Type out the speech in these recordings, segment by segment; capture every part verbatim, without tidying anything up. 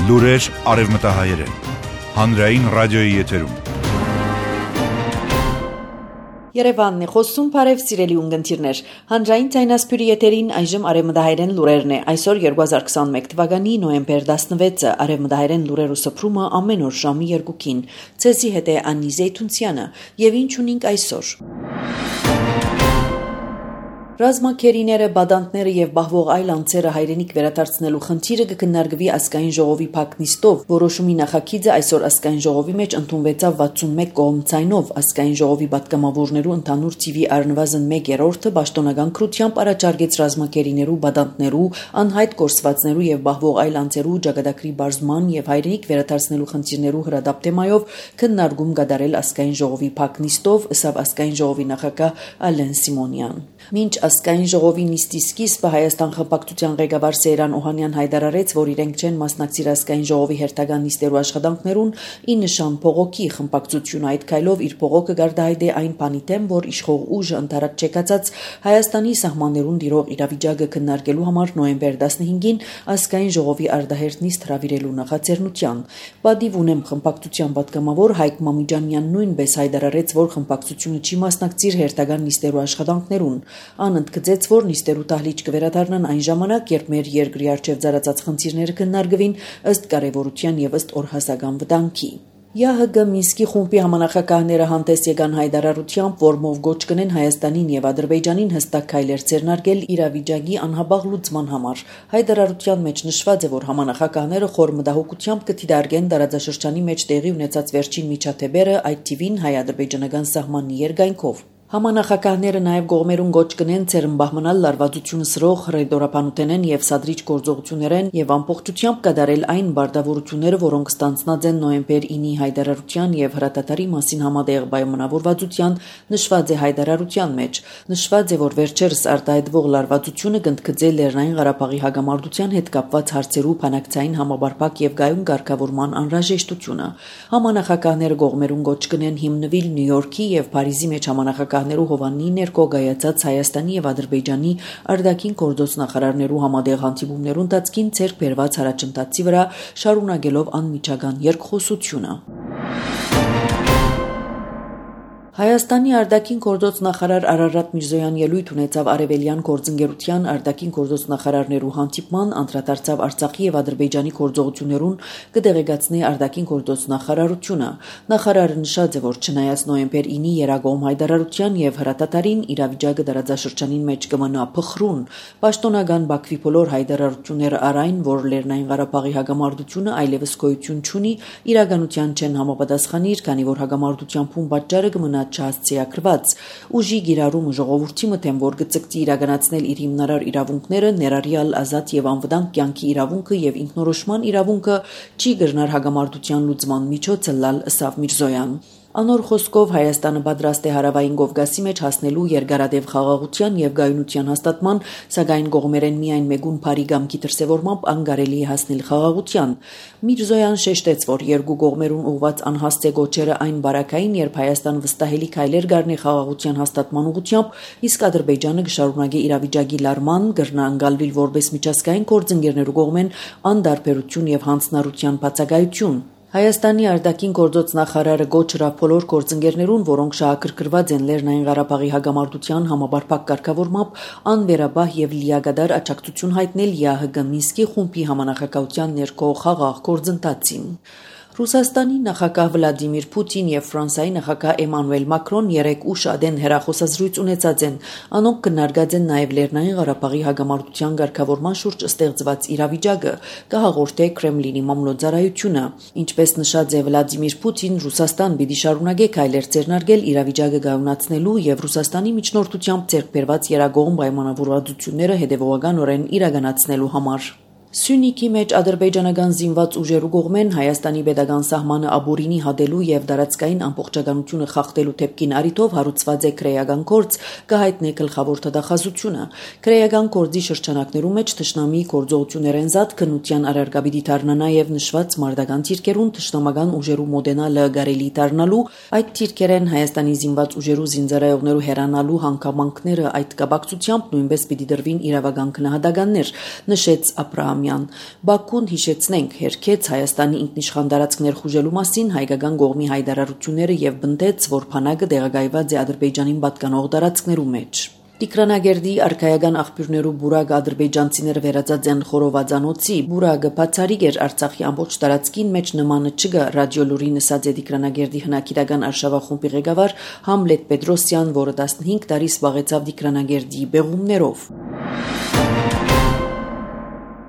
Լուրեր արևմտահայերեն, հանրային ռադիոյի եթերում։ Երևանն է խոսում, բարև սիրելի ունգընտիրներ, հանրային ձայնասփյուրի եթերին այժմ արևմտահայերեն լուրերն է, այսօր երկու հազար քսանմեկ թվականի նոյեմբեր տասնվեցը, արևմտահայերեն լուրերու սփռումը ամեն օր ժամի երկուքին, ցեզի հետ է Անի Զեյթունցյանը, եւ ինչ ունենք այսօր։ Ռազմաքերիները, բադանտները եւ բահվող այլ անձերը հայրենիք վերադարձնելու խնդիրը կքննարկվի ազգային ժողովի փակնիստով։ Որոշումի նախագիծը այսօր ազգային ժողովի մեջ ընդունվեցավ վաթսունմեկ կողմցայնով։ Ազգային ժողովի պատգամավորներու ընդհանուր թիվի առնվազն մեկ երրորդը պաշտոնական քրությամբ առաջարկեց ռազմաքերիներու, բադանտներու, անհայտ կորսվածներու եւ բահվող այլ անձերու ճակատագրի բարձման եւ հայրենիք վերադարձնելու խնդիրներու հրադապ թեմայով քննարկում կատարել ազգային ժողովի փակնիստով, ըստ ազգային ժողովի նախագահ Ալեն Սիմոնյան։ Մինչ ազգային ժողովի նիստի սկիզբը Հայաստան խմբակցության ղեկավար Սեյրան Օհանյան հայտարարեց, որ իրենք չեն մասնակցիր ազգային ժողովի հերթական նիստերու աշխատանքներուն, ի նշան փողոքի խմբակցությունը այդ քայլով իր փողոքը գարդահայտե այն բանի դեմ, որ իշխող ուժը ընդառաջ չեկացած Հայաստանի սահմաններուն դիրող իրավիճակը քննարկելու համար նոյեմբեր տասնհինգին ազգային ժողովի արդահերթ նիստ հրավիրելու նախաձեռնության։ Բադիվ ունեմ խմբակցության պատգամավոր Հայկ Մամիջանյան նույնպես հայտարարեց, որ խմբակցությունը չի մասնակցիր հերթական նիստերու աշխատանքներուն։ Ան ընդգծեց, որ նիստերու դահլիճ կվերադառնան այն ժամանակ, երբ մեր երկրի առջև ծառացած խնդիրները քննարկվին ըստ կարևորության եւ ըստ օրհասական վտանգի։ ԵԱՀԿ Մինսկի խումբի համանախագահները հանդես եկան հայտարարությամբ, որմով գոչ կնեն Հայաստանին եւ Ադրբեջանին հստակ քայլեր ձեռնարկել իրավիճակի անհաբաղ լուծման համար։ Հայտարարության մեջ նշված է, որ համանախագահները խոր մտահոգությամբ կդիտարկեն տարածաշրջանի մեջ տեղի ունեցած վերջին միջադեպերը, այդ թիվին հայ-ադրբեջանական սահմանի երկայնքով։ Համանախագահները նաև գողմերուն գոչ կնեն ցերմբահմանալ լարվածությունը սրող ռեդորապանութենեն եւ սադրիչ գործողություններեն եւ ամբողջությամբ կատարել այն բարդավորությունները, որոնք ստանցնած են նոյեմբեր ինի հայտարարության եւ հրատատարի մասին համատեղ պայմանավորվածության նշված է հայտարարության մեջ։ Նշված է, որ վերջերս արտահայտվող լարվածությունը կընդգծե Լեռնային Ղարաբաղի հագամարտության հետ կապված հարցերու բանակցային համաբարփակ եւ գայուն ղեկավարման անհրաժեշտությունը։ Համանախագահները գողմերուն գոչ կնեն հիմնվել Նյու Յորքի եւ Փարիզի մեջ համանախագահ Հովաննի ներկո գայացած Հայաստանի եւ Ադրբեջանի արտաքին գործոց նախարարներու համատեղ հանդիպումներուն տածքին ցերկ բերված հարաճընթացի վրա շարունակելով անմիջական երկխոսությունը։ Հայաստանի արտաքին գործոց նախարար Արարատ Միրզոյան ելույթ ունեցավ Արևելյան գործընկերության արտաքին գործոց նախարարներու հանդիպման, անդրադարձավ Արցախի եւ Ադրբեջանի գործողություններուն կդեղեկացնի արտաքին գործոց նախարարությունը։ Նախարարը նշած է, որ չնայած նոյեմբեր ինի երագոմ հայտարարության եւ հրատատարին իրավիճակը տարածաշրջանին մեջ կմնա փխրուն, պաշտոնական Բաքվի բոլոր հայտարարությունները առայն, որ Լեռնային Ղարաբաղի հագամարտությունը այլևս գոյություն չունի, իրականության չեն համապատասխանիր, քանի որ հագամարտության փուն պատճառը կմնա չհասցեակրված ուժի գիրառումը ժողովրդի մտեմ, որ գծկտի իրականացնել իր հիմնարար իրավունքները, ներառյալ ազատ եւ անվտանգ կյանքի իրավունքը եւ ինքնորոշման իրավունքը չի գրնար հագամարտության լուծման միջոցը լալ ըսավ Միրզոյան։ Անոր խոսքով Հայաստանը պատրաստ է հարավային Կովկասի մեջ հասնելու երկարատև խաղաղության եւ գայունության հաստատման, սակայն կողմերեն միայն մեգուն բարի գամքի դրսևորմամբ անկարելի է հասնել խաղաղության։ Միրզոյան շեշտեց, որ երկու կողմերուն ուղված անհասցե գոչերը այն բարակային, երբ Հայաստան վստահելի քայլեր գարնի խաղաղության հաստատման ուղղությամբ, իսկ Ադրբեջանը կշարունակի իրավիճակի լարման, գրնա անկալվել որպես միջազգային գործընկերներու կողմեն անդարբերություն եւ հանձնառության բացակայություն։ Հայաստանի արտաքին գործոց նախարարը գոչ հրավ բոլոր գործընկերներուն, որոնք շահագրգռված են Լեռնային Ղարաբաղի հագամարտության համաբարփակ կարգավորմամբ, անվերաբահ եւ լիագադար աջակցություն հայտնել ԵԱՀԿ Մինսկի խումբի համանախագահության ներքո խաղաղ գործընթացին։ Ռուսաստանի նախագահ Վլադիմիր Պուտին եւ Ֆրանսիայի նախագահ Էմանուել Մակրոն երեկ ուշ ադեն հեռախոսազրույց ունեցած են։ Անոնք քննարկած են նաեւ Լեռնային Ղարաբաղի հագամարտության ղեկավարման շուրջ ստեղծված իրավիճակը, կհաղորդե Կրեմլինի մամլոյցարայությունը։ Ինչպես նշած է Վլադիմիր Պուտին, Ռուսաստան պիտի շարունակի քայլեր ձեռնարկել իրավիճակը գայունացնելու եւ Ռուսաստանի միջնորդությամբ ձեռք բերված երագողմ պայմանավորվածությունները հետեւողականորեն իրականացնելու համար։ Սյունիքի մեջ ադրբեջանական զինված ուժերու կողմեն Հայաստանի պետական սահմանը ապօրինի հատելու եւ դարածքային ամբողջականությունը խախտելու դեպքին առիթով հարուցված է քրեական գործ, կհայտնի գլխավոր դատախազությունը։ Քրեական գործի շրջանակներում մեջ թշնամի գործողություններեն զատ քննության առարգաբիդի դառնա նաեւ նշված մարտական թիրքերուն թշնամական ուժերու մոդենալը գարելի դառնալու, այդ թիրքերեն Հայաստանի զինված ուժերու զինծառայողներու հեռանալու հանգամանքները այդ կապակցությամբ նույնպես պիտի դրվին իրավական գնահատականներ, նշեց Աբրահամ Աբրահամյան։ Բաքուն, հիշեցնենք, հերքեց Հայաստանի ինքնիշխան տարածք ներխուժելու մասին հայկական կողմի հայտարարությունները եւ բնդեց, որ բանակը տեղակայված է Ադրբեջանին պատկանող տարածքներու մեջ։ Տիգրանագերդի արքայական աղբյուրներու բուրագ ադրբեջանցիները վերածած են խորովածանոցի, բուրագը բացարիք էր Արցախի ամբողջ տարածքին մեջ նմանը չգա ռադիոլուրի նսած է Տիգրանագերդի հնագիտական արշավախումբի ղեկավար Համլետ Պետրոսյան, որը տասնհինգ տարի զբաղեցավ Տիգրանագերդի բեղումներով։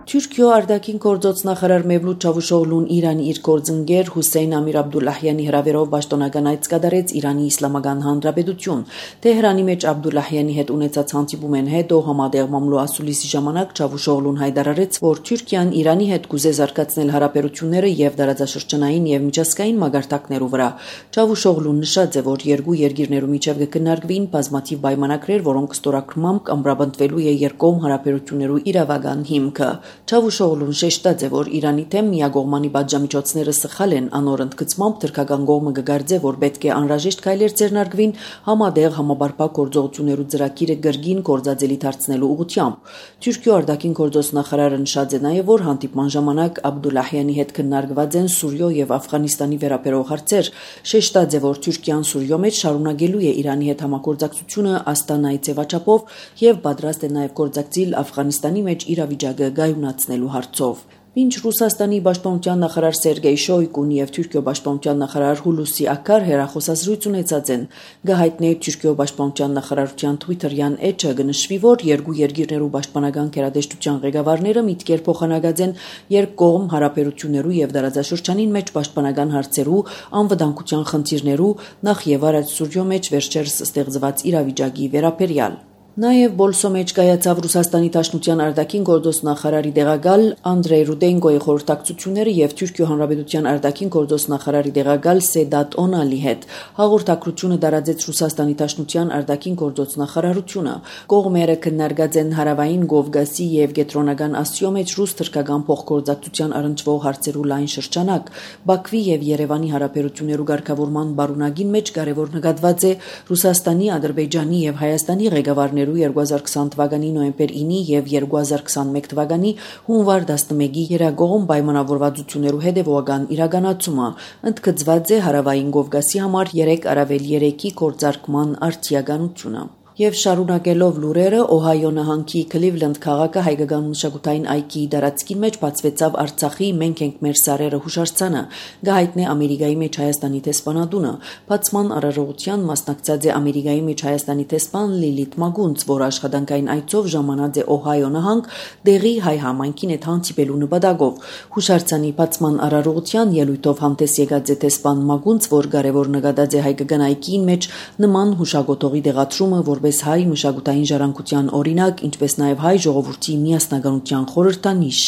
Թուրքիո արտաքին գործոց նախարար Մևլութ Չավուշօղլուն Իրանի իր գործընկեր Հուսեյն Ամիր Աբդուլլահյանի հրավերով պաշտոնական այց կատարեց Իրանի Իսլամական Հանրապետություն։ Թեհրանի մեջ Աբդուլլահյանի հետ ունեցած հանդիպումեն հետո համատեղ մամլո ասուլիսի ժամանակ Չավուշօղլուն հայտարարեց, որ Թուրքիան Իրանի հետ կուզե զարգացնել հարաբերությունները եւ դարաձաշրջանային եւ միջազգային մագարտակներու վրա։ Չավուշօղլուն նշած է, որ երկու երկիրներու միջև կքննարկվին բազմաթիվ պայմանագրեր, որոնք ստորագրմամբ ամրապնդվելու է երկկողմ հարաբերություններու իրավական հիմքը։ Չավուշօղլուն շեշտած է, որ Իրանի թեմ միակողմանի պատժամիջոցները սխալ են, անոր ընդգծմամբ թրքական կողմը կգարձե, որ պետք է անհրաժեշտ քայլեր ձեռնարկվին համատեղ համապարփակ գործողություններու ծրագիրը գրգին գործածելի դարձնելու ուղղությամբ։ Թուրքիո արտաքին գործոց նախարարը նշած է նաև, որ հանդիպման ժամանակ Աբդուլլահյանի հետ քննարկված են Սուրիո եւ Աֆղանստանի վերաբերող հարցեր։ Շեշտած է, որ Թուրքիան Սուրիո մեջ շարունակելու է Իրանի հետ համագործակցությունը Աստանայի ձևաչափով եւ պատրաստ է նաև գործակցել Աֆղանստանի մեջ իրավիճակը գայունացնելու հարցով։ Մինչ Ռուսաստանի պաշտպանության նախարար Սերգեյ Շոյգուն եւ Թուրքիո պաշտպանության նախարար Հուլուսի Ակար հերախոսազրույց ունեցած են։ Գահիտնե Թուրքիո պաշտպանության նախարարության Twitter-յան էջը կնշվի, որ երկու երկիրներու պաշտպանական գերատեսչության ղեկավարները միտքեր փոխանակած են երկկողմ հարաբերություններու եւ դարաձաշրջանին մեջ պաշտպանական հարցերու, անվտանգության խնդիրներու, նախ եւ առաջ Սուրիո մեջ վերջերս ստեղծված իրավիճակի վերաբերյալ։ Նաև Բոլսո մեջ կայացավ Ռուսաստանի Դաշնության արտաքին գործոց նախարարի տեղակալ Անդրեյ Ռուդենկոյի խորհրդակցությունները եւ Թուրքիո Հանրապետության արտաքին գործոց նախարարի տեղակալ Սեդատ Օնալի հետ։ Հաղորդակցությունը տարածեց Ռուսաստանի Դաշնության արտաքին գործոց նախարարությունը։ Կողմերը քննարկած են հարավային Կովկասի եւ Կենտրոնական Ասիո մեջ ռուս թրքական փոխգործակցության առնչվող հարցերու լայն շրջանակ։ Բաքվի եւ Երևանի հարաբերություններու ղեկավարման բարունակին մեջ կարևոր նկատված է Ռուսաստանի, Ադրբեջանի եւ Հայաստանի ղեկավարներ երկու հազար քսան թվականի նոյեմբեր ինը եւ երկու հազար քսանմեկ թվականի հունվար տասնմեկի երագողմ պայմանավորվածություններու հետևողական իրականացումը ընդգծված է հարավային Կովկասի համար երեք առավել երեքի գործարկման արդիականությունը։ Եվ շարունակելով լուրերը, Օհայո նահանգի Քլիվլենդ քաղաքը հայկական մշակութային այգի դարածքի մեջ բացվեցավ Արցախի «Մենք ենք մեր սարերը» հուշարձանը, գահիտնե Ամերիկայի մեջ Հայաստանի տեսփանատունը։ Բացման արարողության մասնակցած է Ամերիկայի մեջ Հայաստանի տեսփան Լիլիթ Մագունց, որ աշխատանքային այցով ժամանած է Օհայո նահանգ դեղի հայ համայնքին հետ հանդիպելու նպատակով։ Հուշարձանի բացման արարողության ելույթով հանդես եկած է տեսփան Մագունց, որ կարևոր նկատած է հայկական այգին մեջ նման հուշագոտողի դեղացումը, որ հայ մշակութային ժառանգության օրինակ, ինչպես նաև հայ ժողովրդի միասնականության խորհրդանիշ։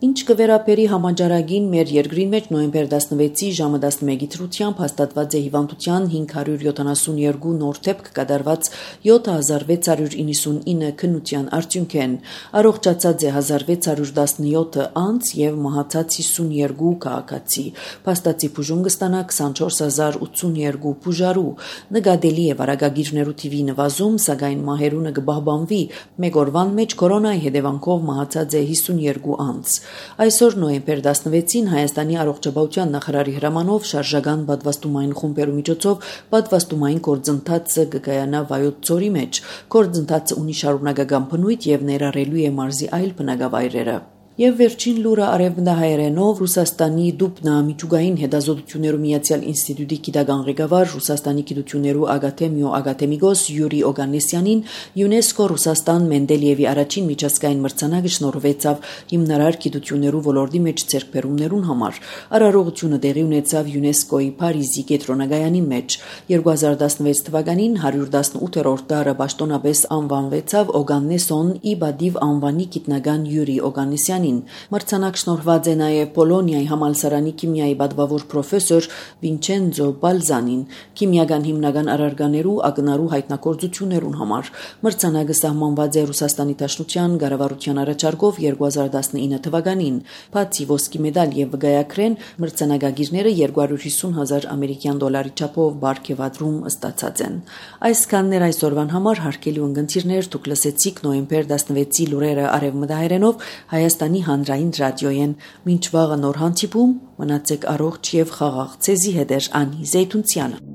Ինչ կվերապերի համաճարակին մեր երկրի մեջ նոյեմբեր տասնվեցի ժամը տասնմեկի դրությամբ հաստատված է հիվանդության հինգ հարյուր յոթանասունյոթ նոր դեպք կատարված յոթ հազար վեց հարյուր իննսունինը քննության արդյունքեն։ Առողջացած է հազար վեց հարյուր տասնյոթ անձ եւ մահացած հիսունյոթ քաղաքացի։ Փաստացի բուժում կստանա քսանչորս հազար ութսունյոթ բուժարու։ Նկատելի է վարակագիրներու թիվի նվազում, սակայն մահերունը կբահբանվի։ Մեկ օրվան մեջ կորոնայի հետևանքով մահացած է հիսունյոթ անձ։ Այսօր նոյեմբեր տասնվեցին Հայաստանի առողջապահության նախարարի հրամանով շարժական պատվաստումային խումբերու միջոցով պատվաստումային գործընթացը կկայանա Վայոց ձորի մեջ։ Գործընթացը ունի շարունակական բնույթ եւ ներառելու է մարզի այլ բնակավայրերը։ Եվ վերջին լուրը արևմտահայերենով Ռուսաստանի Դուբնա միջուկային հետազոտություններու միացյալ ինստիտուտի գիտական ղեկավար Ռուսաստանի գիտություններու ակադեմիո ակադեմիկոս Յուրի Օգանեսյանին ՅՈՒՆԵՍԿՕ Ռուսաստան Մենդելիևի առաջին միջազգային մրցանակը շնորհվեցավ հիմնարար գիտություններու ոլորտի մեջ ձեռքբերումներուն համար։ Արարողությունը տեղի ունեցավ ՅՈՒՆԵՍԿՕ-ի Փարիզի կենտրոնագայանի մեջ։ երկու հազար տասնվեց թվականին հարյուր տասնութերորդ դարը պաշտոնապես անվանվեցավ Օգանեսոն Իբադիվ անվանի գիտնական Յուրի Օգանեսյան։ Մրցանակ շնորհված է նաև Պոլոնիայի համալսարանի քիմիայի պատվավոր պրոֆեսոր Վինչենցո Բալզանին քիմիական հիմնական առարկաներու ակնարու հայտնագործություններուն համար։ Մրցանակը սահմանված է Ռուսաստանի Դաշնության կառավարության առաջարկով երկու հազար տասնինը թվականին։ Բացի ոսկի մեդալ եւ վկայակրեն, մրցանակագիրները երկու հարյուր հիսուն հազար ամերիկյան դոլարի չափով բարգեւադրում ստացած են։ Այսքանն էր այսօրվան համար հարգելի ունկնդիրներ, դուք լսեցիք նոյեմբեր տասնվեցի լուրերը արևմտահայերենով Հայաստանի Հայաստանի հանրային ռադիոյեն։ Մինչ վաղը նոր հանդիպում, մնացեք առողջ եւ խաղաղ։ Ցեզի հետ է Անի Զեյթունցյանը։